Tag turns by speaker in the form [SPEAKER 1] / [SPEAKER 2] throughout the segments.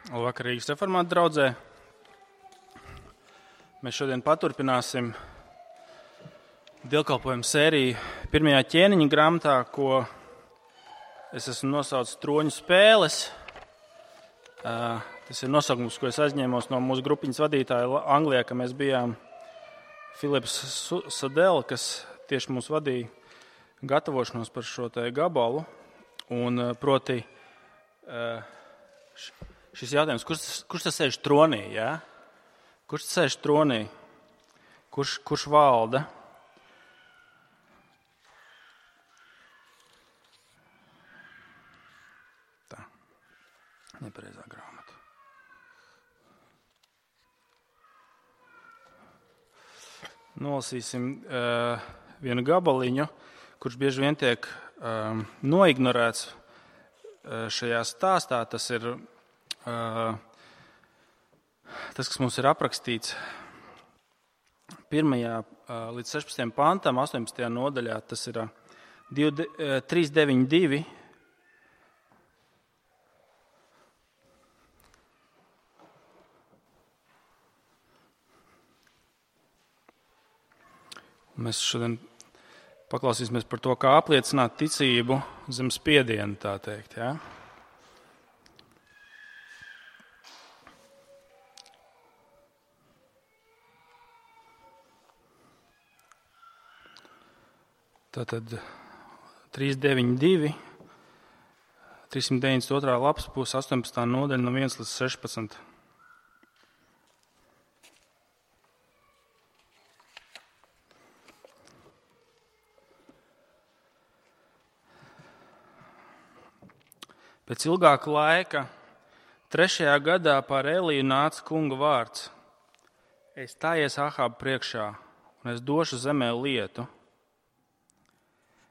[SPEAKER 1] Labvakar, Rīgas reformātu draudzē. Mēs šodien paturpināsim dievkalpojumu sēriju pirmajā ķēniņa grāmatā, ko es esmu nosaucis Troņu spēles. Tas ir nosaukums, ko es aizņēmos no mūsu grupiņas vadītāja Anglijā, ka mēs bijām Filips Sadel, kas tieši mūs vadīja gatavošanos par šo te gabalu. Un proti šis jautājums, kurš tas sēž tronī, jā? Kurš tas sēž tronī? Kurš valda? Tā, nepareizā grāmata. Nolasīsim vienu gabaliņu, kurš bieži vien tiek noignorēts šajā stāstā. Tas ir tas, kas mums ir aprakstīts 1. līdz 16. pantam, 18. nodaļā. Tas ir 3.9.2. Mēs šodien paklausīsimies par to, kā apliecināt ticību zem spiediena, tā teikt. Ja? Tātad 392, 392. lapas puse, 18. nodaļa no 1 līdz 16. Pēc ilgāka laika, 3. gadā pār Eliju nāca kunga vārds. Es stājies Ahāba priekšā, un es došu zemē lietu.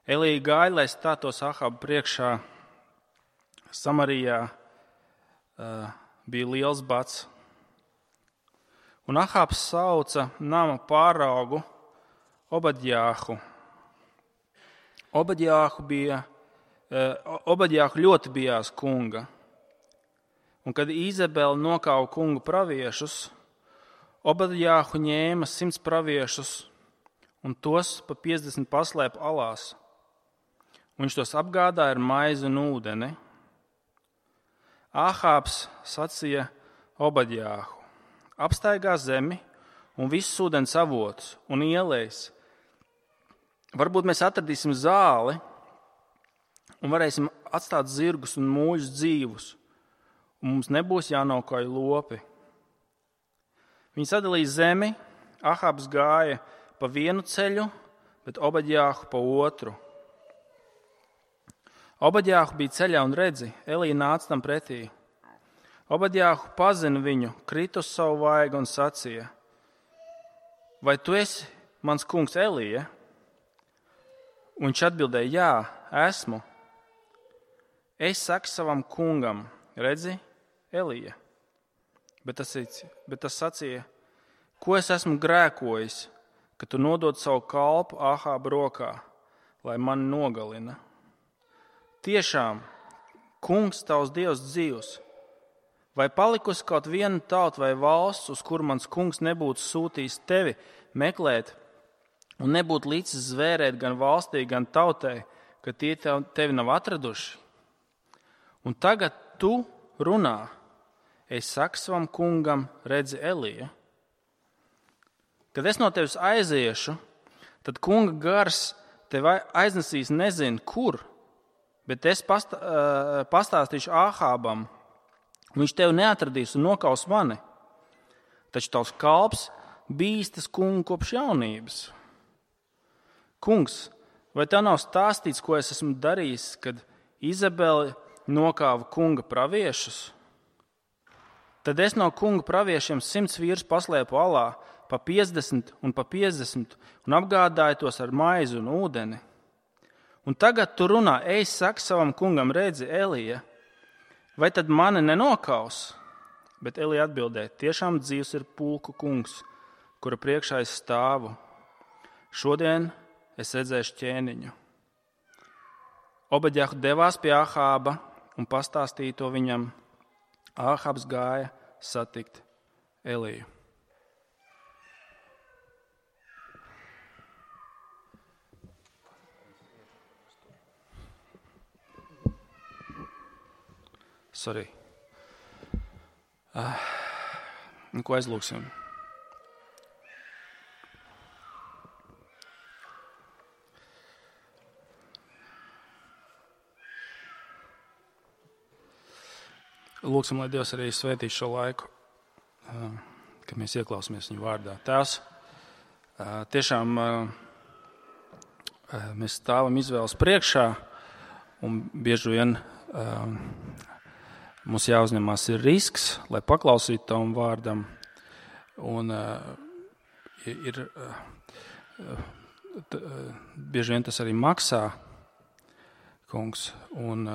[SPEAKER 1] Elija gāja, lai stātos Ahāba priekšā. Samarijā bija liels bats. Un Ahābs sauca nama pāraugu Obadjāhu. Obadjāhu ļoti bijās kunga, un kad Izabele nokauja kunga praviešus, Obadjāhu ņēma 100 praviešus un tos pa 50 paslēpa alās. Viņš tos apgādāja ar maizi un ūdeni. Ahābs sacīja Obadjāhu: apstaigā zemi un visus ūdens avotus un ielejas. Varbūt mēs atradīsim zāli un varēsim atstāt zirgus un mūļus dzīvus, un mums nebūs jānokauj lopi. Viņi sadalīja zemi, Ahābs gāja pa vienu ceļu, bet Obadjāhu pa otru. Obadjāhu bija ceļā un redzi, Elija nāca tam pretī. Obadjāhu pazina viņu, krita uz savu vaigu un sacīja: vai tu esi mans kungs Elija? Un viņš atbildēja: jā, esmu. Es saku savam kungam: redzi, Elija. Bet tas sacīja: ko es esmu grēkojis, ka tu nodod savu kalpu Ahāba rokā, lai mani nogalina? Tiešām, kungs tavs Dievs dzīvs, vai palikusi kaut viena tauta vai valsts, uz kuru mans kungs nebūtu sūtījis tevi meklēt un nebūtu licis zvērēt gan valstī, gan tautai, ka tie tevi nav atraduši? Un tagad tu runā: es saku savam kungam, redzi, Elija. Kad es no tevis aiziešu, tad kunga gars tevi aiznesīs nezinu kur, bet es pastāstīšu Ahābam, un viņš tevi neatradīs un nokaus mani. Taču tavs kalps bīstas kungu kopš jaunības. Kungs, vai tev nav stāstīts, ko es esmu darījis, kad Izabele nokāva kunga praviešus? Tad es no kunga praviešiem 100 vīrus paslēpu alā, pa 50 un pa 50, un apgādāju tos ar maizi un ūdeni. Un tagad tu runā: es saku savam kungam, redzi, Elija. Vai tad mani nenokaus? Bet Elija atbildēja: tiešām dzīvs ir pulku kungs, kura priekšā es stāvu. Šodien es redzēšu ķēniņu. Obadjāhu devās pie Ahāba un pastāstīja to viņam. Āhabs gāja satikt Eliju. Sorry. Ko aizlūksim? Lūksim, lai Dievs arī svētīs šo laiku, kad mēs ieklausāmies viņu vārdā. Tēvs, tiešām mēs stāvam izvēles priekšā, un bieži vien mums jāuzņemās ir risks, lai paklausītu tavam vārdam. Un bieži vien tas arī maksā, kungs. Un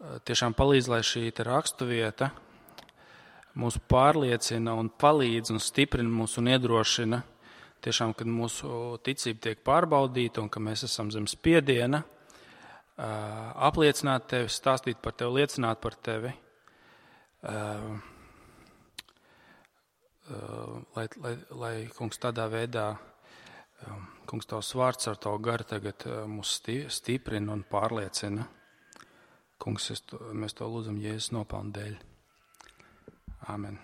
[SPEAKER 1] tiešām palīdz, lai šī raksturvieta mūs pārliecina un palīdz un stiprina mūs un iedrošina. Tiešām, kad mūsu ticība tiek pārbaudīta un ka mēs esam zem spiediena, apliecināt tevi, stāstīt par tevi, liecināt par tevi, lai kungs, tādā veidā, kungs, tavs vārds ar tavu garu tagad mūs stiprina un pārliecina. Kungs, mēs to lūdzam Jēzus nopelnu dēļ. Āmen.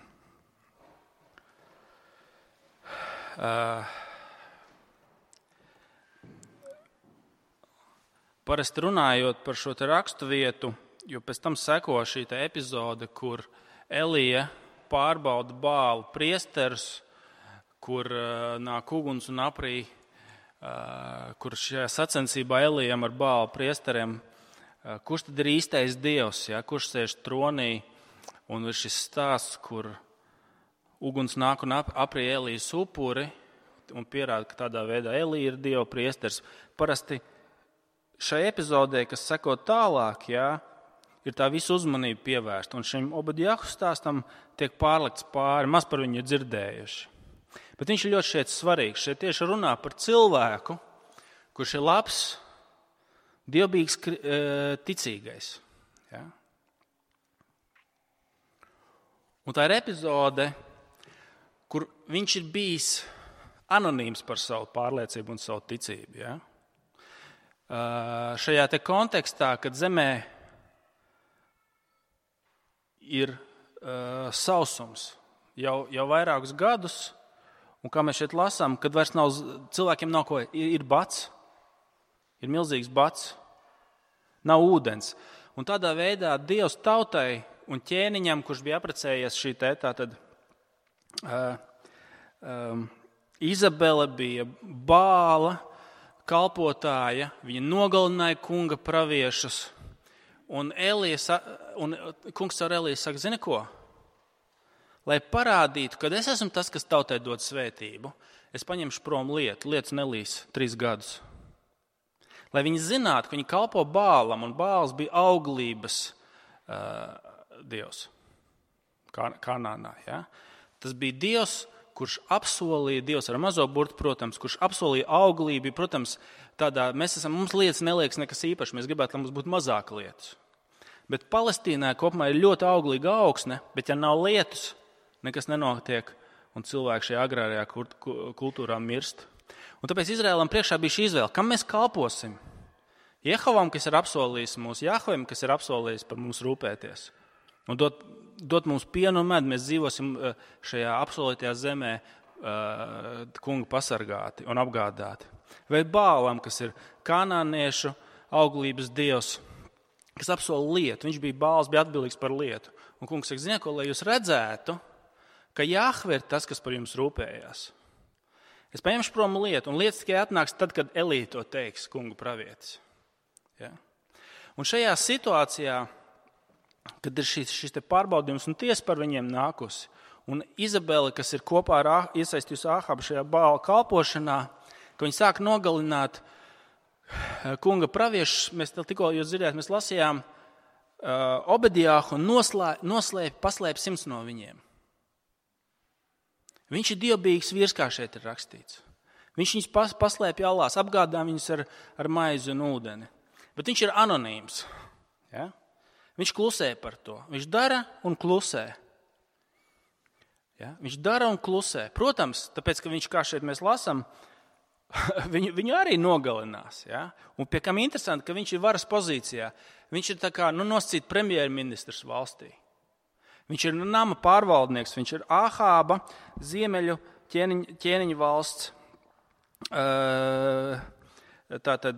[SPEAKER 1] Parasti runājot par šo raksturvietu, jo pēc tam seko šī epizode, kur Elija pārbauda Bālu priesterus, kur nāk uguns un aprī, kur šajā sacensībā Elijam ar Bālu priesteriem, kurš tad ir īstais Dievs, ja? Kurš sēž tronī, un ir šis stāsts, kur uguns nāk un aprī Elijas upuri un pierāda, ka tādā veidā Elija ir Dieva priesteris. Parasti šai epizodē, kas seko tālāk, ja, ir tā visa uzmanība pievērsta, un šim Obadjahu stāstam tiek pārlikts pāri, maz par viņu dzirdējuši. Bet viņš ir ļoti šeit svarīgs. Šeit tieši runā par cilvēku, kurš ir labs, dievbijīgs ticīgais. Ja? Un tā ir epizode, kur viņš ir bijis anonīms par savu pārliecību un savu ticību. Ja? Šajā te kontekstā, kad zemē ir sausums jau vairākus gadus, un kā mēs šeit lasām, kad vairs nav, cilvēkiem nav ko, ir bats, ir milzīgs bats, nav ūdens. Un tādā veidā Dievs tautai un ķēniņam, kurš bija apprecējies šī tātad Izabele bija Bāla kalpotāja, viņa nogalināja kunga praviešus, un kungs ar Eliju saka, zini ko? Lai parādītu, ka es esmu tas, kas tautai dod svētību, es paņemšu prom lietas nelīs 3 gadus. Lai viņi zinātu, ka viņi kalpo Bālam, un Bāls bija auglības dievs Kanānā. Ja? Tas bija dievs, kurš apsolīja, dievs ar mazo burtu, protams, kurš apsolīja auglību. Protams, mums lietas neliekas nekas īpašs, mēs gribētu, lai mums būtu mazāk lietas. Bet Palestīnā kopumā ir ļoti auglīga augsne, bet ja nav lietus, nekas nenotiek, un cilvēki šajā agrārajā kultūrā mirst. Un tāpēc Izraēlam priekšā bija šī izvēle, kam mēs kalposim? Jehovam, kas ir apsolījis mūs, Jahvem, kas ir apsolījis par mums rūpēties. Un dot mums pienu un medu, mēs dzīvosim šajā apsolītajā zemē kunga pasargāti un apgādāti. Vai Bālam, kas ir kanāniešu auglības dievs, kas apsola lietu. Viņš bija Bāls, bija atbildīgs par lietu. Un kungs saka, ziniet, ko, lai jūs redzētu, ka Jahve ir tas, kas par jums rūpējās. Es paņemšu prom lietu, un lietas tikai atnāks tad, kad Elija to teiks, kungu pravietis. Ja? Un šajā situācijā, kad ir šis te pārbaudījums un tiesa par viņiem nākusi, un Izabele, kas ir kopā ar iesaistījusi Āhabu šajā Bāla kalpošanā, ka viņi sāk nogalināt kunga praviešus, mēs tikko jūs dzirdējāt, mēs lasījām Obadjahu un paslēpa 100 no viņiem. Viņš ir dievbijīgs vīrs, kā šeit ir rakstīts. Viņš viņus paslēpj allās, apgādā viņus ar maizi un ūdeni. Bet viņš ir anonīms. Ja? Viņš klusē par to. Viņš dara un klusē. Ja? Viņš dara un klusē. Protams, tāpēc, ka viņš, kā šeit mēs lasām, viņu arī nogalinās. Ja? Un pie kam interesanti, ka viņš ir varas pozīcijā. Viņš ir tā kā nosacīt premjerministrs valstī. Viņš ir nama pārvaldnieks, viņš ir Ahāba ziemeļu ķēniņu valsts. Tātad,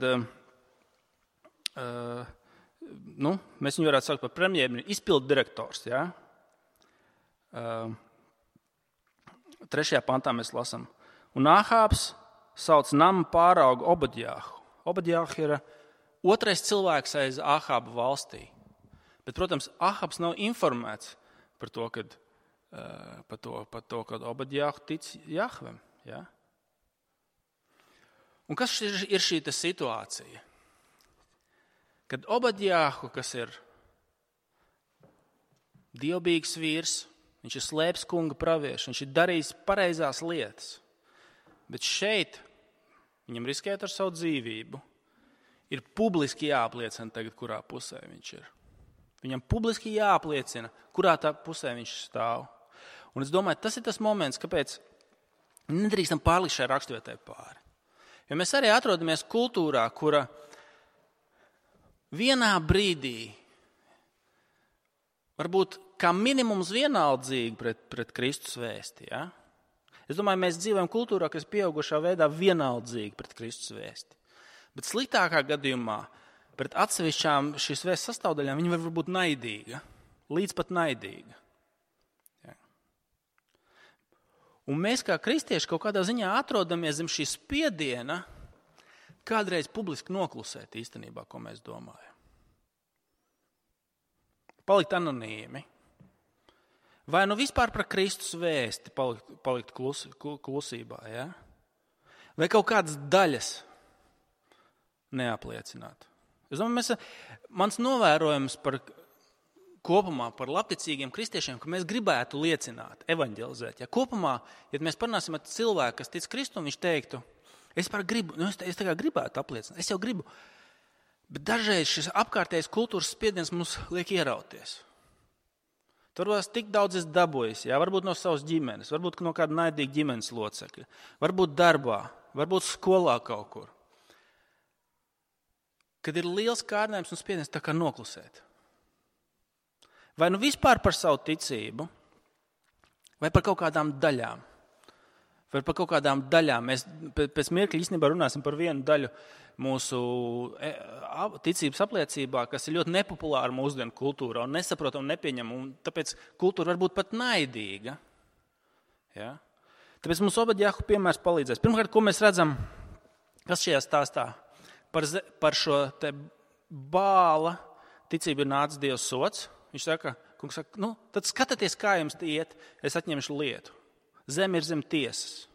[SPEAKER 1] mēs viņu varētu saukt par premjerministru, izpildu direktors. Ja? 3. pantā mēs lasām. Un Ahābs sauc nama pāraugu Obadjāhu. Obadjāhu ir otrais cilvēks aiz Ahāba valstī. Bet, protams, Ahābs nav informēts par to, kad Obadjāhu tic Jahvem. Ja? Un kas ir šī situācija? Kad Obadjāhu, kas ir dievbijīgs vīrs, viņš ir slēpis kunga praviešu, viņš ir darījis pareizās lietas, bet šeit viņam riskēt ar savu dzīvību, ir publiski jāapliecina tagad, kurā pusē viņš ir. Viņam publiski jāapliecina, kurā tā pusē viņš stāv. Un es domāju, tas ir tas moments, kāpēc nedrīkstam pārlikt šai raksturvietai pāri. Jo mēs arī atrodamies kultūrā, kura vienā brīdī varbūt kā minimums vienaldzīgi pret Kristus vēsti. Ja? Es domāju, mēs dzīvojam kultūrā, kas pieaugušā veidā vienaldzīgi pret Kristus vēsti. Bet sliktākā gadījumā pret atsevišķām šīs vēstas sastāvdaļām viņa var būt naidīga, līdz pat naidīga. Ja? Un mēs kā kristieši kaut kādā ziņā atrodamies zem šī spiediena kādreiz publiski noklusēt īstenībā, ko mēs domājam. Palikt anonīmi. Vai vispār par Kristus vēsti palikt klusībā, ja? Vai kaut kādas daļas neapliecināt. Es domāju, mans novērojums kopumā par labticīgiem kristiešiem, ka mēs gribētu liecināt, evaņģelizēt. Ja kopumā, ja mēs parunāsim ar cilvēku, kas tic Kristum, viņš teiktu, es gribētu apliecināt, es jau gribu. Bet dažreiz šis apkārtējais kultūras spiediens mums liek ierauties. Turpās tik daudz es dabūjis, ja? Varbūt no savas ģimenes, varbūt no kāda naidīga ģimenes locekļa, varbūt darbā, varbūt skolā kaut kur. Kad ir liels kārdinājums un spiediens, tā kā noklusēt. Vai vispār par savu ticību, vai par kaut kādām daļām. Vai par kaut kādām daļām. Mēs pēc mirkļa īstenībā runāsim par vienu daļu mūsu ticības apliecībā, kas ir ļoti nepopulāra mūsdienu kultūrā un nesaprotam, nepieņem, un tāpēc kultūra var būt pat naidīga. Ja? Tāpēc mums Obadjāhu piemērs palīdzēs. Pirmkārt, ko mēs redzam, kas šajā stāstā par šo te Bāla ticību ir nācis Dieva sots. Viņš saka, kungs saka, tad skatieties, kā jums iet, es atņemšu lietu. Zeme ir zem tiesas.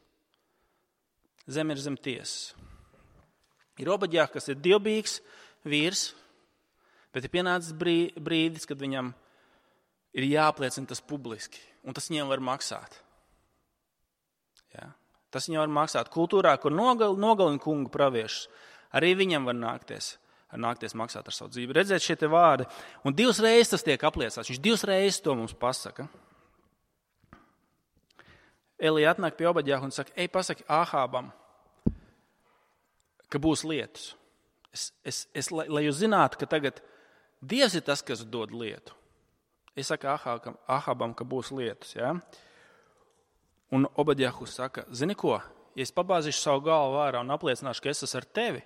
[SPEAKER 1] Zeme ir zem tiesas. Ir Obadjāhu, kas ir dievbijīgs vīrs, bet ir pienācis brīdis, kad viņam ir jāapliecina tas publiski, un tas viņam var maksāt. Ja? Tas viņam var maksāt. Kultūrā, kur nogalina kungu praviešus, arī viņam var nākties maksāt ar savu dzīvi. Redzēt šie te vārdi. Un 2 reizes tas tiek apliecināts. Viņš 2 reizes to mums pasaka. Elija atnāk pie Obadjāhu un saka, pasaki Ahābam, ka būs lietus. Lai jūs zinātu, ka tagad Dievs ir tas, kas dod lietu. Es saku Ahābam, ka būs lietus. Ja? Un Obadjāhu saka, zini ko, ja es pabāzīšu savu galvu vārā un apliecināšu, ka es esmu ar tevi,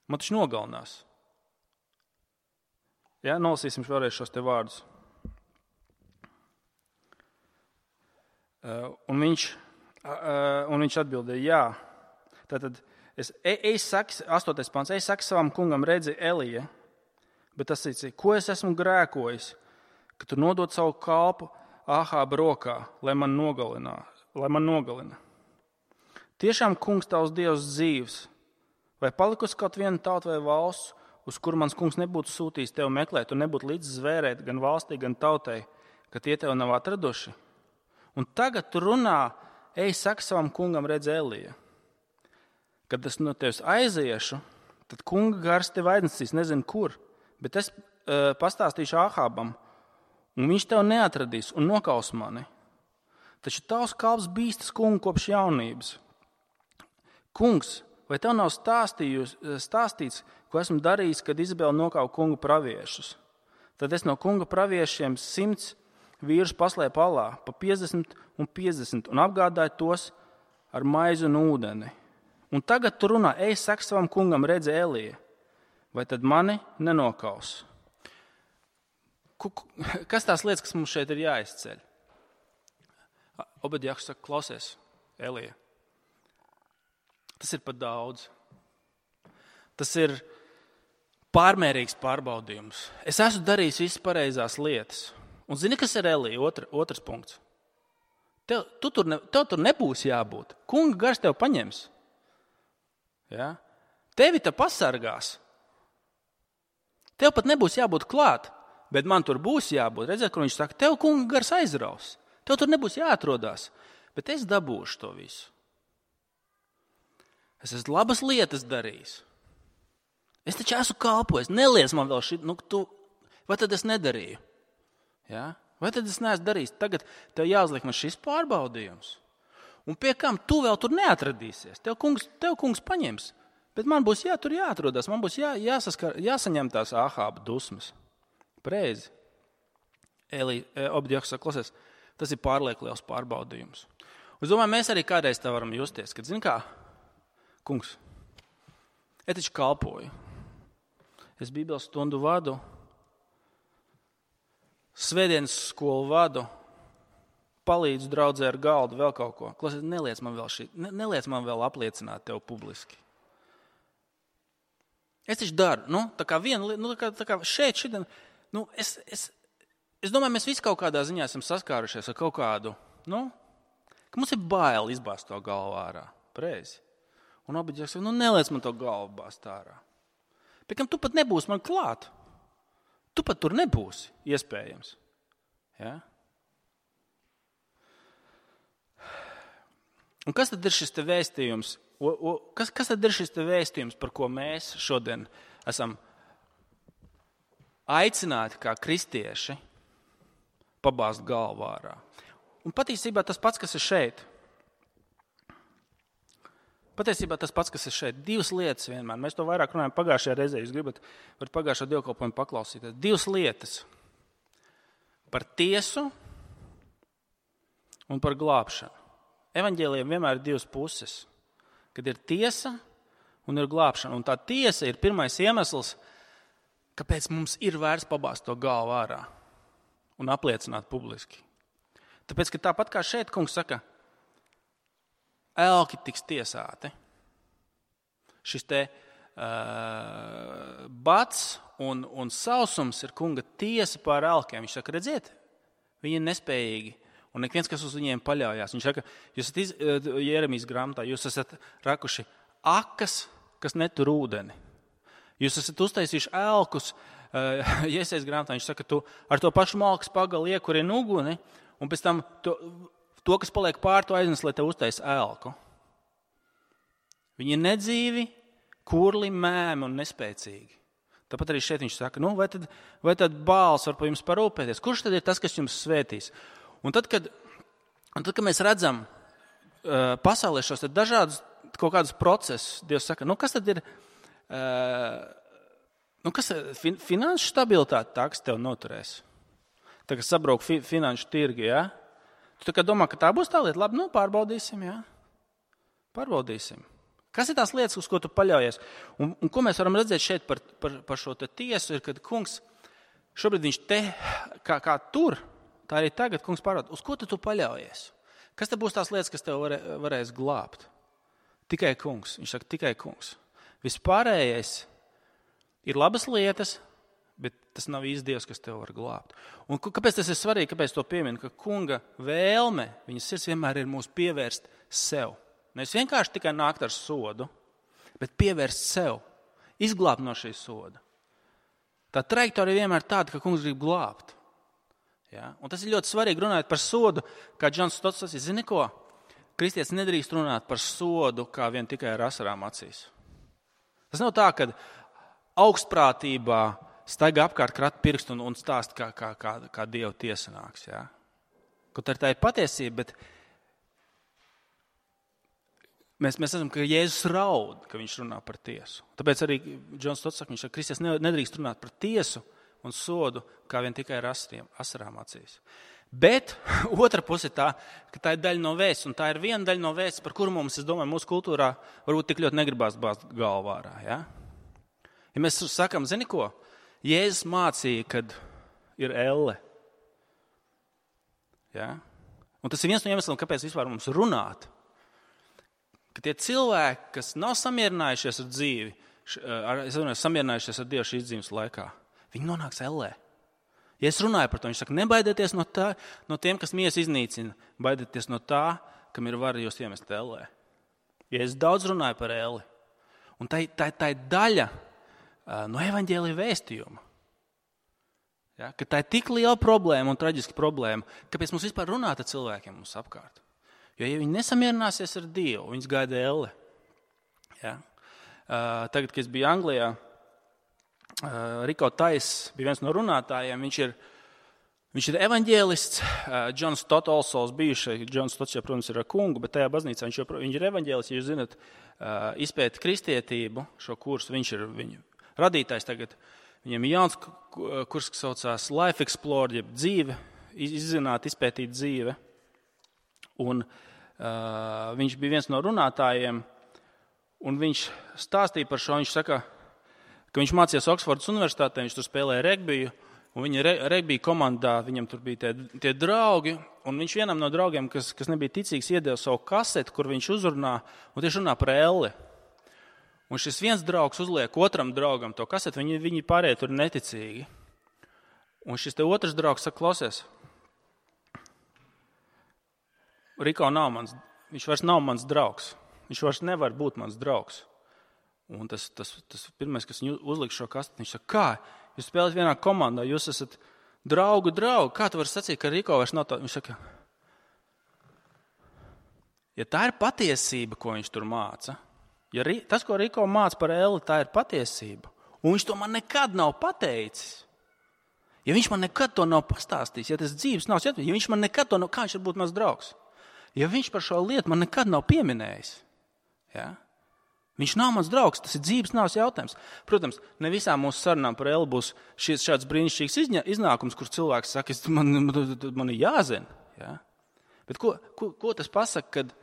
[SPEAKER 1] man taču nogalinās. Ja? Nolasīsim vēlreiz šos te vārdus. Un viņš atbildēja, jā. Tātad, 8. pants, saki savam kungam, redzi Elija, bet tas ir, ko es esmu grēkojis, ka tu nodod savu kalpu Ahāba rokā, lai man nogalina. Tiešām kungs tavs Dievs dzīvs, vai palikusi kaut viena tauta vai valsts, uz kuru mans kungs nebūtu sūtījis tevi meklēt un nebūtu līdz zvērēt gan valstī, gan tautai, ka tie tevi nav atraduši? Un tagad tu runā, saki savam kungam, redz Elija. Kad es no tevis aiziešu, tad kunga gars tevi aiznesīs, nezinu kur, bet pastāstīšu Āhābam, un viņš tev neatradīs un nokaus mani. Taču tavs kalps bīstas kungu kopš jaunības. Kungs, vai tev nav stāstīts, ko esmu darījis, kad Izabela nokauja kunga praviešus? Tad es no kunga praviešiem 100 vīrus paslēpu alā, pa 50 un 50, un apgādāju tos ar maizi un ūdeni. Un tagad tu runā, ej, saki savam kungam, redzi Elija, vai tad mani nenokaus? Kas tās lietas, kas mums šeit ir jāizceļ? Obadjahs saka, klausies, Elija. Tas ir pat daudz. Tas ir pārmērīgs pārbaudījums. Es esmu darījis visas pareizās lietas. Un zini, kas ir Elija? Otrs punkts. Tev tur nebūs jābūt. Kunga gars tev paņems. Ja? Tevi te pasargās. Tev pat nebūs jābūt klāt, bet man tur būs jābūt. Redziet, kur viņš saka, tev kunga gars aizraus. Tev tur nebūs jāatrodās, bet es dabūšu to visu. Es esmu labas lietas darījis. Es taču esmu kalpojis. Neliec man vēl šī, vai tad es nedarīju? Ja? Vai tad es neesmu darījis? Tagad tev jāuzliek man šis pārbaudījums. Un pie kam tu vēl tur neatradīsies? Tev kungs paņems. Bet man būs tur jāatrodās. Man būs jāsaņem tās Āhāba dusmas. Preizi. Obadjahs saka, klausies, tas ir pārlieku liels pārbaudījums. Es domāju, mēs arī kādreiz tā varam justies, kad, zini kā, kungs, es taču kalpoju. Es Bībeles stundu vadu, svētdienas skolu vadu, palīdzu draudzē ar galdu, vēl kaut ko. Klausies, neliec man vēl apliecināt tev publiski. Es taču daru, tā kā viena, tā kā šeit, es domāju, mēs visi kaut kādā ziņā esam saskārušies ar kaut kādu, ka mums ir bail izbāzt to galvu ārā. Preizi. Un Obadjahs saka, neliec man to galvu bāzt ārā. Pēc kam tu pat nebūsi man klāt. Tu pat tur nebūsi, iespējams. Ja? Un kas tad ir šis te vēstījums? Kas tad ir šis te vēstījums, par ko mēs šodien esam aicināti kā kristieši pabāzt galvu ārā? Un patiesībā tas pats, kas ir šeit. Divas lietas vienmēr. Mēs to vairāk runājam pagājušajā reizē. Jūs gribat pagājušā dievkalpojumu paklausīties. Divas lietas. Par tiesu un par glābšanu. Evaņģēlijam vienmēr ir divas puses. Kad ir tiesa un ir glābšana. Un tā tiesa ir pirmais iemesls, kāpēc mums ir vērts pabāzt to galvu ārā un apliecināt publiski. Tāpēc, ka tāpat kā šeit kungs saka, elki tiks tiesāti. Šis te bats un sausums ir kunga tiesa pār elkiem. Viņš saka, redziet, viņi ir nespējīgi. Un neviens, kas uz viņiem paļaujās. Viņš saka, jūs esat Jeremijas grāmatā, jūs esat rakuši akas, kas netur ūdeni. Jūs esat uztaisījuši elkus, Jesajas grāmatā. Viņš saka, tu ar to pašu malkas pagalu iekurini uguni, un pēc tam to, kas paliek pār, to aiznes, lai tev uztais elku. Viņi ir nedzīvi, kurli, mēmi un nespēcīgi. Tāpat arī šeit viņš saka, vai tad Bāls var par jums parūpēties? Kurš tad ir tas, kas jums svētīs? Un tad, kad mēs redzam pasaulē šos dažādus kaut kādus procesus, Dievs saka, kas tad ir, finanšu stabilitāte tā, kas tev noturēs? Tā, kas sabrauc finanšu tirgi, ja? Tu tā kā domā, ka tā būs tā lieta, labi, pārbaudīsim, ja? Pārbaudīsim. Kas ir tās lietas, uz ko tu paļaujies? Un ko mēs varam redzēt šeit par šo te tiesu, ir, kad kungs, šobrīd viņš te, kā tur, tā arī tagad kungs pārbauda, uz ko tu paļaujies? Kas te būs tās lietas, kas tev varēs glābt? Tikai kungs. Viņš saka, tikai kungs. Vispārējais ir labas lietas, bet tas nav īsti Dievs, kas tev var glābt. Un kāpēc tas ir svarīgi, kāpēc to pieminu? Ka kunga vēlme, viņas sirds vienmēr ir mūs pievērst sev. Nevis vienkārši tikai nākt ar sodu, bet pievērst sev, izglābt no šī soda. Tā trajektorija vienmēr tāda, ka kungs grib glābt. Ja? Un tas ir ļoti svarīgi runāt par sodu, kā Džons Stots sacīja, zini ko? Kristietis nedrīkst runāt par sodu, kā tikai ar asarām acīs. Tas nav tā, ka augstprātībā staigā apkārt krata pirkstu un stāst, kā Dieva tiesa nāks. Ja? Kaut tā ir patiesība, bet mēs esam, ka Jēzus raud, ka viņš runā par tiesu. Tāpēc arī Džons Stots saka, viņš saka, Kristus nedrīkst runāt par tiesu un sodu, kā vien tikai ar asarām acīs. Bet otra puse tā, ka tā ir daļa no vēsts, un tā ir viena daļa no vēsts, par kuru mums, es domāju, mūsu kultūrā varbūt tik ļoti negribās bāzt galvu ārā. Ja? Ja mēs sakam, zini ko? Jēzus mācīja, kad ir elle. Ja? Un tas ir viens no iemesliem, kāpēc vispār mums runāt. Ka tie cilvēki, kas nav samierinājušies ar dzīvi, samierinājušies ar Dievu šīs dzīves laikā, viņi nonāks ellē. Ja es runāju par to, viņš saka, nebaidieties no tiem, kas miesu iznīcina, baidieties no tā, kam ir vara jūs iemest ellē. Ja es daudz runāju par elli, un tā ir daļa no evaņģēlija vēstījuma. Ja? Ka tā ir tik liela problēma un traģiska problēma, kāpēc mums vispār runāt ar cilvēkiem mums apkārt. Jo, ja viņi nesamierināsies ar Dievu, viņus gaida elle. Ja? Tagad, kad es biju Anglijā, Riko Tais bija viens no runātājiem. Viņš ir evaņģēlists. Džons Stotolsols bijušais. Džons Stots, protams, ir ar kungu, bet tajā baznīcā viņš ir evaņģēlists. Ja jūs zinat, izpēt kristietību šo kursu, viņš ir viņu radītājs tagad. Viņam ir jauns kurs, kas saucās Life Explored, jeb dzīve, izzināt, izpētīt dzīve. Un viņš bija viens no runātājiem, un viņš stāstīja par šo. Viņš saka, ka viņš mācījās Oksfordas universitātē, viņš tur spēlēja regbiju, un viņa regbija komandā, viņam tur bija tie draugi, un viņš vienam no draugiem, kas nebija ticīgs, iedeva savu kaseti, kur viņš uzrunā, un tieši runā par elli. Un šis viens draugs uzliek otram draugam to kaseti, viņi pārējie tur neticīgi. Un šis te otrs draugs saka, klausies, Riko viņš vairs nav mans draugs, viņš vairs nevar būt mans draugs. Un tas pirmais, kas viņu uzliks šo kasteti, viņš saka, kā? Jūs spēlējat vienā komandā, jūs esat draugu, kā tu vari sacīt, ka Riko vairs nav tā? Viņš saka, ja tā ir patiesība, ko viņš tur māca, ja tas, ko Riko māca par elli, tā ir patiesība, un viņš to man nekad nav pateicis, ja viņš man nekad to nav pastāstījis, ja tas dzīves nav, ja viņš man nekad to nav, kā viņš var būt mans draugs? Ja viņš par šo lietu man nekad nav pieminējis, ja? Viņš nav mans draugs, tas ir dzīves nāves jautājums. Protams, ne visām mūsu sarunām par elli būs šāds brīnišķīgs iznākums, kur cilvēks saka, man ir jāzina. Ja? Bet ko tas pasaka, kad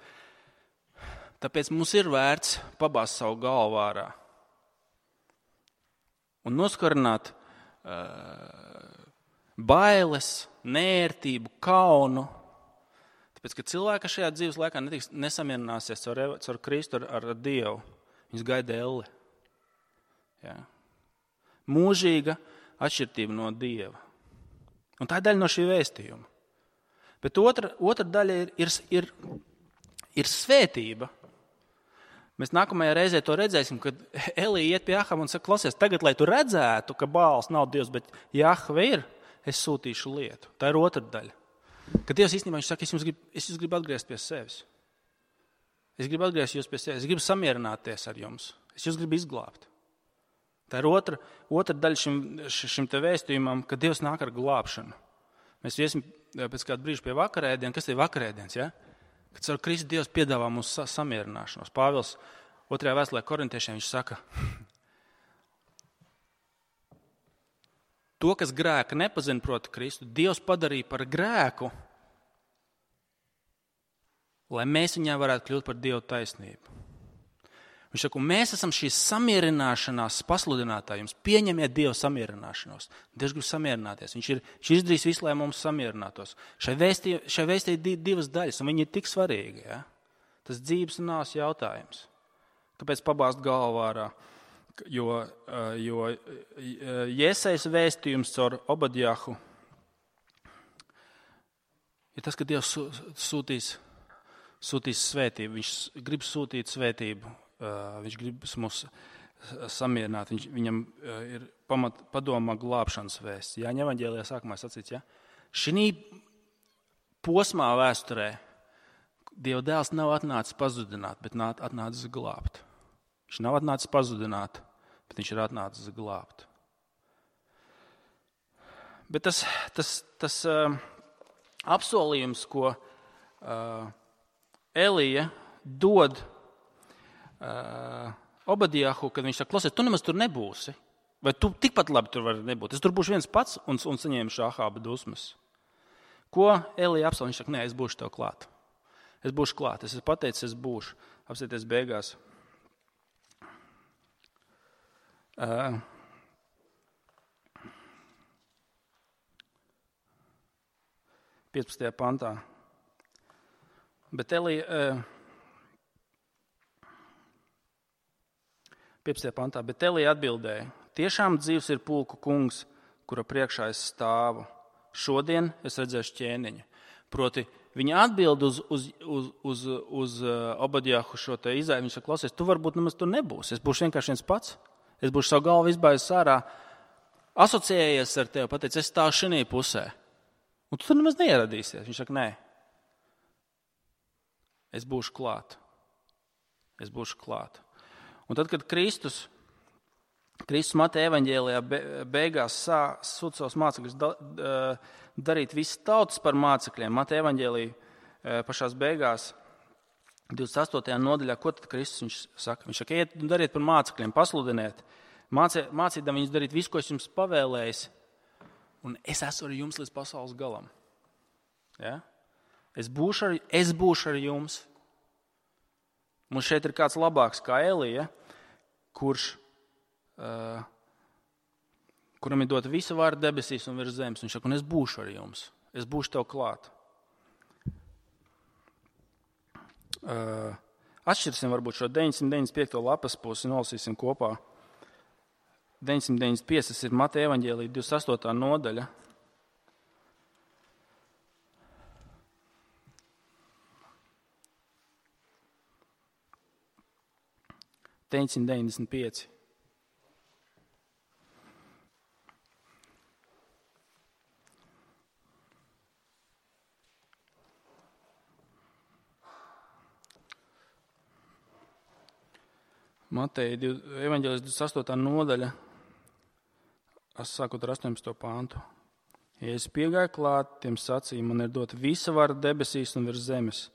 [SPEAKER 1] tāpēc mums ir vērts pabāzt savu galvu ārā un noskarināt bailes, nērtību, kaunu. Tāpēc, ka cilvēka šajā dzīves laikā nesamierināsies caur Kristu ar Dievu. Viņus gaida elle. Ja. Mūžīga atšķirtība no Dieva. Un tā ir daļa no šī vēstījuma. Bet otra daļa ir svētība. Mēs nākamajā reizē to redzēsim, kad Elija iet pie Ahava un saka, klausies, tagad, lai tu redzētu, ka Bāls nav Dievs, bet Jahve ir, es sūtīšu lietu. Tā ir otra daļa. Kad Dievs īstenībā viņš saka, es jūs gribu atgriezt pie sevis. Es gribu atgriezt jūs pie sevis. Es gribu samierināties ar jums. Es jūs gribu izglābt. Tā ir otra daļa šim te vēstījumam, ka Dievs nāk ar glābšanu. Mēs iesim pēc kāda brīža pie vakarēdiena. Kas ir vakarēdiens? Ja? Kad caur Kristu Dievs piedāvā mums samierināšanos. Pāvils 2. vēstulē korintiešiem viņš saka, to, kas grēka nepazina, proti Kristu, Dievs padarīja par grēku, lai mēs viņā varētu kļūt par Dievu taisnību. Viņš saka, mēs esam šīs samierināšanās pasludinātāji. Jums pieņemiet Dievu samierināšanos. Dievs grib samierināties. Viņš izdarīs visu, lai mums samierinātos. Šai vēstī ir divas daļas, un viņi ir tik svarīgi. Ja? Tas dzīves un nāves jautājums. Kāpēc pabāzt galvu ārā? Jo Jesajas vēstījums caur Obadjahu ir tas, ka Dievs sūtīs svētību. Viņš grib sūtīt svētību. Viņš grib mūs samierināt. Viņam ir padomā glābšanas vēsts. Jāņa evaņģēlijā sākumā sacīts, ja? Šī posmā vēsturē Dieva dēls nav atnācis pazudināt, bet atnācis glābt. Viņš nav atnācis pazudināt, bet viņš ir atnācis glābt. Bet tas apsolījums, ko Elija dod Obadijahu, kad viņš saka, klausies, tu nemaz tur nebūsi. Vai tu tikpat labi tur vari nebūt? Es tur būšu viens pats un saņemšu Ahāba dusmas. Ko Elija apsolīja? Viņš saka, nē, es būšu tev klāt. Es būšu klāt. Es esmu pateicis, es būšu. Apsieties beigās. 15. pantā. Bet Elija 15. pantā, bet Elija atbildēja, tiešām dzīvs ir pulku kungs, kura priekšā es stāvu. Šodien es redzēšu ķēniņu. Proti, viņa atbild uz Obadijahu šo te izaivu. Viņš saka, klausies, tu varbūt nemaz tur nebūsi. Es būšu vienkārši viens pats. Es būšu savu galvu izbāzis ārā, asociējies ar tevi, pateicis, es stāvu šajā pusē. Un tu tur nemaz neieradīsies. Viņš saka, nē. Es būšu klāt. Es būšu klāt. Un tad, kad Kristus Mateja evaņģēlijā beigās sūta savus mācekļus darīt visas tautas par mācekļiem, Mateja evaņģēlijā pašās beigās, 28. nodaļā, ko tad Kristus viņš saka? Viņš saka, iet un dariet par mācekļiem, pasludiniet, mācīdam viņus darīt visu, ko es jums pavēlējis, un es esmu ar jums līdz pasaules galam. Ja? Es būšu ar jums. Mums šeit ir kāds labāks kā Elija, kuram ir dota visa vara debesīs un virs zemes. Viņš saka, un es būšu ar jums. Es būšu tev klāt. Atšķirsim varbūt šo 995. lapas pusi, nolasīsim kopā. 995. Tas ir Mateja evaņģēlija 28. nodaļa. Mateja evaņģēlijas 28. nodaļa, sākot ar 18. pāntu. Ja es piegāju klāt, tiem sacīja, man ir dota visa vara debesīs un virs zemes.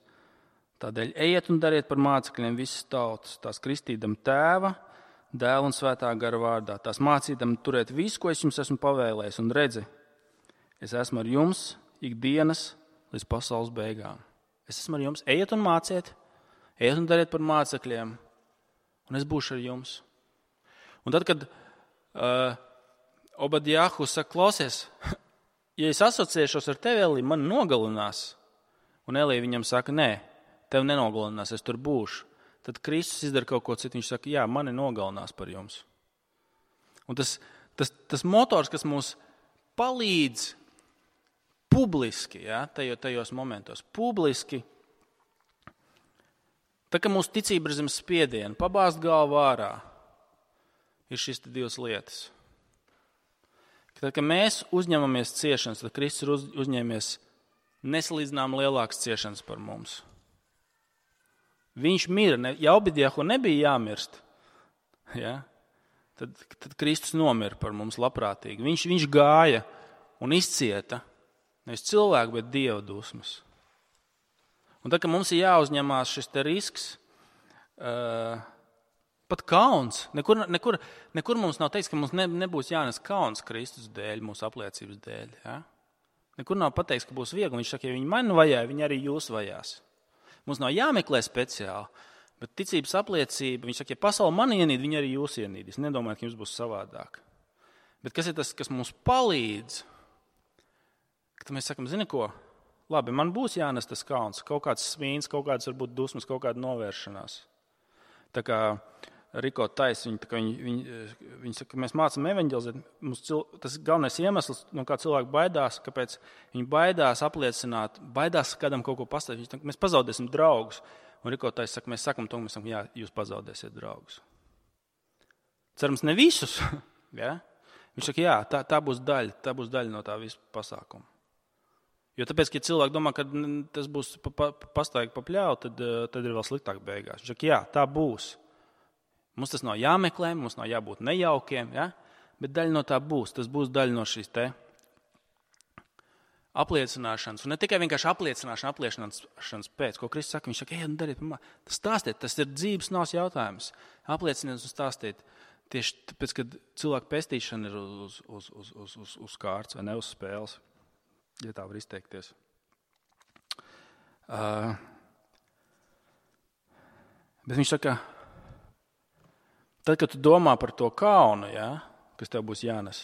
[SPEAKER 1] Tādēļ ejiet un dariet par mācekļiem visas tautas, tās kristīdam Tēva, Dēla un Svētā gara vārdā, tās mācīdam turēt visu, ko es jums esmu pavēlējis, un redzi, es esmu ar jums ikdienas līdz pasaules beigām. Es esmu ar jums, ejiet un māciet, ejiet un dariet par mācekļiem, un es būšu ar jums. Un tad, kad Obadijahu saka, klausies, ja es asociēšos ar tevi, Elija, man nogalinās, un Elija viņam saka, nē, tev nenogalinās, es tur būšu. Tad Kristus izdara kaut ko citu. Viņš saka, jā, mani nogalinās par jums. Un tas motors, kas mums palīdz publiski, ja, tajos momentos, publiski, tā kā mūsu ticība ir zem spiediena, pabāzt galvu ārā, ir šīs divas lietas. Tad, kad mēs uzņemamies ciešanas, tad Kristus ir uzņēmies nesalīdzinām lielākas ciešanas par mums. Viņš mira, ja Obadijahu nebija jāmirst, ja, tad Kristus nomira par mums labprātīgi. Viņš gāja un izcieta nevis cilvēku, bet Dieva dusmas. Un tad, kad mums ir jāuzņemās šis te risks, pat kauns, nekur mums nav teiks, ka mums nebūs jānes kauns Kristus dēļ, mūsu apliecības dēļ. Ja? Nekur nav pateiks, ka būs viegli. Viņš saka, ja viņi mani vajāja, viņi arī jūs vajās. Mums nav jāmeklē speciāli, bet ticības apliecība, viņš saka, ja pasauli mani ienīd, viņi arī jūs ienīdīs. Nedomājiet, ka jums būs savādāk. Bet kas ir tas, kas mums palīdz? Kad mēs sakam, zini ko, labi, man būs jānes tas kauns, kaut kāds svīns, kaut kāds varbūt dusmas, kaut kāda novēršanās. Tā kā Riko Tais, viņi saka, ka mēs mācam evaņģelizēt, tas galvenais iemesls, no kā cilvēki baidās, kāpēc viņi baidās apliecināt, baidās kādam kaut ko pastāstīt. Viņi saka, mēs pazaudēsim draugus. Un Riko Tais saka, mēs sakam, jā, jūs pazaudēsiet draugus. Cerams, ne visus. Ja? Viņš saka, jā, tā būs daļa no tā visa pasākuma. Jo tāpēc, ka cilvēki domā, ka tas būs pastāvīgi papļauj, tad ir vēl sliktāk beigās. Viņš saka, jā, tā būs. Mums tas nav jāmeklē, mums nav jābūt nejaukiem, ja? Bet daļa no tā būs. Tas būs daļa no šīs te apliecināšanas, un ne tikai vienkārši apliecināšanas pēc, ko Kristus saka, viņš saka, dariet, stāstiet, tas ir dzīves nāves jautājums. Aplieciniet un stāstiet tieši tāpēc, kad cilvēku pestīšana ir uz kārts vai ne uz spēles, ja tā var izteikties. Bet viņš saka, tad, kad tu domā par to kaunu, kas tev būs jānes,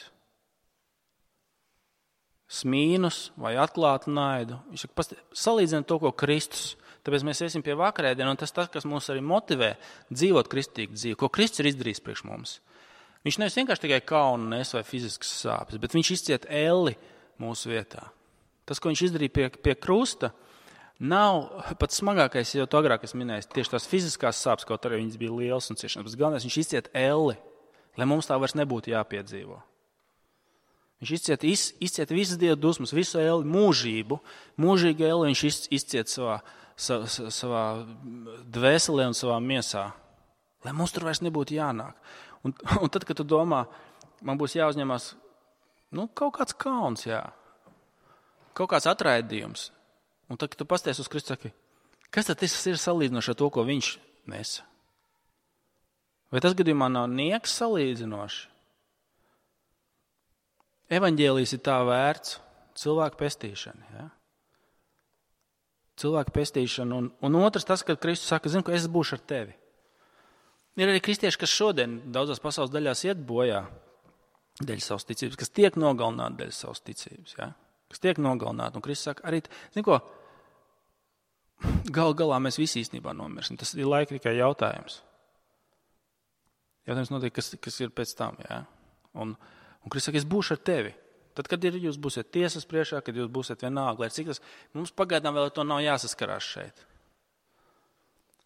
[SPEAKER 1] smīnus vai atklātu naidu. Viņš saka, salīdzina to, ko Kristus. Tāpēc mēs iesim pie vakarēdienu, un tas, kas mūs arī motivē dzīvot kristīgu dzīvi, ko Kristus ir izdarījis priekš mums. Viņš nevis vienkārši tikai kaunu nes vai fiziskas sāpes, bet viņš izciet elli mūsu vietā. Tas, ko viņš izdarīja pie krusta, nav pats smagākais, jau to agrāk es minēju, tieši tās fiziskās sāpes, kaut arī viņas bija lielas un ciešanas, bet galvenais viņš izciet elli, lai mums tā vairs nebūtu jāpiedzīvo. Viņš izciet visas Dieva dusmas, visu elli, mūžīgu elli viņš izciet savā dvēselē un savā miesā, lai mums tur vairs nebūtu jānāk. Un tad, kad tu domā, man būs jāuzņemās kaut kāds kauns, kaut kāds atraidījums, un tad, kad tu pasties uz Kristu, saki, kas tad tas ir salīdzinoši ar to, ko viņš nesa? Vai tas gadījumā nav nieks salīdzinoši? Evaņģēlijs ir tā vērts cilvēku pestīšana. Ja? Cilvēku pestīšana. Un otrs tas, kad Kristus saka, zinu, ka es būšu ar tevi. Ir arī kristieši, kas šodien daudzās pasaules daļās iet bojā dēļ savas ticības, kas tiek nogalināti dēļ savas ticības. Ja? Kas tiek nogalināti. Un Kristus saka, arī, zinu ko, galā mēs visi īstenībā nomirsim. Tas ir laika tikai jautājums. Jautājums notiek, kas ir pēc tam. Ja? Un Kristus saka, es būšu ar tevi. Tad, kad jūs būsiet tiesas priekšā, kad jūs būsiet vienalga, lai cik tas, mums pagaidām vēl ar to nav jāsaskarās šeit.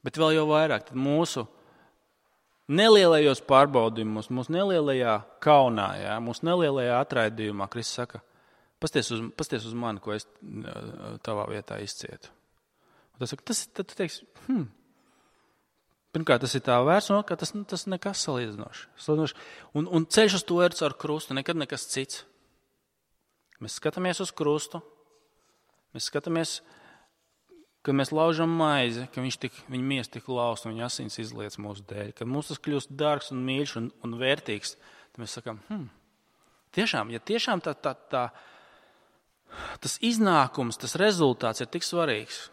[SPEAKER 1] Bet vēl jau vairāk, tad mūsu nelielajos pārbaudījumos, mūsu nelielajā kaunā, mūsu nelielajā atraidījumā, Kristus saka, pasties uz mani, ko es tavā vietā izcietu. Un tad tu teiksi, pirmkārt, tas ir tā vērts, un tas nekas salīdzinoši. Un ceļš uz to ir caur krustu, nekad nekas cits. Mēs skatāmies uz krustu, mēs skatāmies, ka mēs laužam maizi, ka viņa miesa tik lausta un viņa asins izliec mūsu dēļ, ka mums tas kļūst dārgs un mīļš un vērtīgs. Tad mēs sakām, tiešām, ja tiešām tas iznākums, tas rezultāts ir tik svarīgs,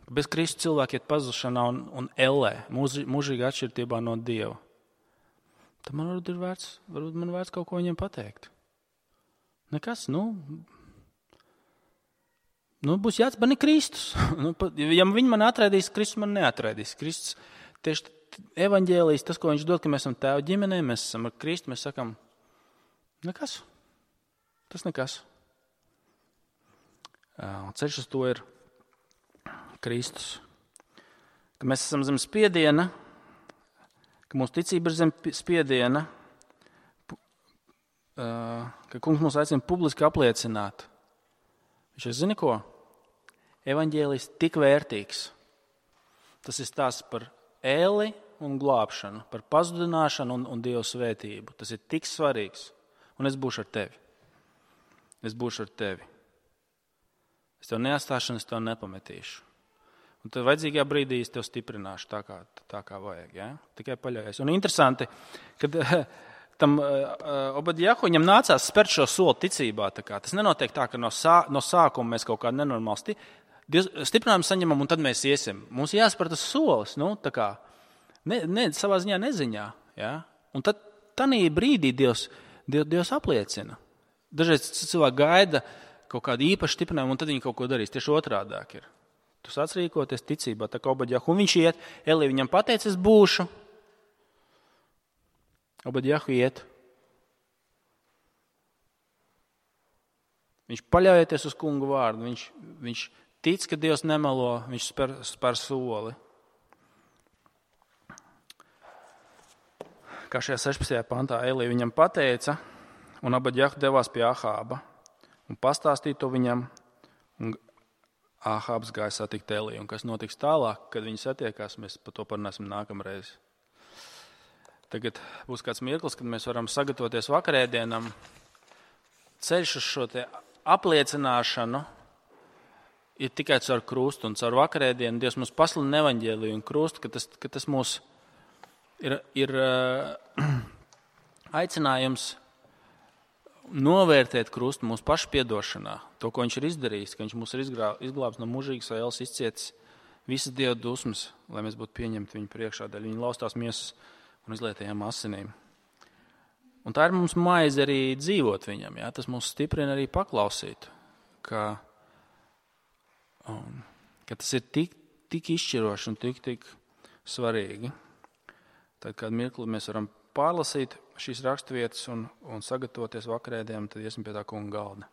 [SPEAKER 1] bez Kristus cilvēki iet pazušanā un ellē, mūžīgā atšķirtībā no Dieva. Tad man varbūt man vērts kaut ko viņiem pateikt. Nekas, būs jāatspani Kristus. Ja viņi man atraidīs, Kristus man neatraidīs. Kristus, tieši evaņģēlijs, tas, ko viņš dod, ka mēs esam tēva ģimenē, mēs esam ar Kristu, mēs sakam, nekas. Tas nekas. Ceļš uz to ir Kristus. Ka mēs esam zem spiediena, ka mūsu ticība ir zem spiediena, ka kungs mūs aicina publiski apliecināt. Viņš zini ko? Evaņģēlijs tik vērtīgs. Tas ir stāsts par ēli un glābšanu, par pazudināšanu un Dieva svētību. Tas ir tik svarīgs. Un es būšu ar tevi. Es būšu ar tevi. Es tev neatstāšu un es tev nepametīšu. Un tad vajadzīgajā brīdī es tev stiprināšu tā kā vajag. Ja? Tikai paļaujies. Un interesanti, kad tam Obadjahu viņam nācās spērt šo soli ticībā. Tas nenotiek tā, ka no sākuma mēs kaut kādu nenormālu stiprinājumu saņemam un tad mēs iesim. Mums jāspēr tas solis, savā ziņā neziņā. Ja? Un tad tanī brīdī Dievs apliecina. Dažreiz cilvēki gaida kaut kādu īpašu stiprinājumu un tad viņi kaut ko darīs. Tieši otrādāk ir. Tu sāc rīkoties ticībā, tā kā Obadjahu. Un viņš iet, Elija viņam pateica, es būšu. Obadjahu iet. Viņš paļaujoties uz kungu vārdu. Viņš tic, ka Dievs nemelo, viņš spēr soli. Kā šajā 16. pantā Elija viņam pateica, un Obadjahu devās pie Ahāba un pastāstīja to viņam. Un Ahābs gāja satikt Eliju, un kas notiks tālāk, kad viņi satiekās, mēs par to parunāsim nākamreiz. Tagad būs kāds mirklis, kad mēs varam sagatavoties vakarēdienam, ceļš uz šo te apliecināšanu ir tikai caur krustu, un caur vakarēdienu Dievs mums pasludina evaņģēliju un krustu, ka tas mūs ir aicinājums novērtēt krustu mūsu pašu piedošanā, to, ko viņš ir izdarījis, ka viņš mūs ir izglābs no mūžīgas ēles, izcietis visas Dieva dusmas, lai mēs būtu pieņemti viņu priekšā, dēļ viņa laustās miesas un izlietajām asinīm. Un tā ir mums maize arī dzīvot viņam, jā? Tas mūs stiprina arī paklausīt, ka tas ir tik izšķiroši un tik svarīgi. Tad, kad mirkli mēs varam pārlasīt šīs raksturvietas un sagatavoties vakarēdienam, tad iesim pie tā kunga galda.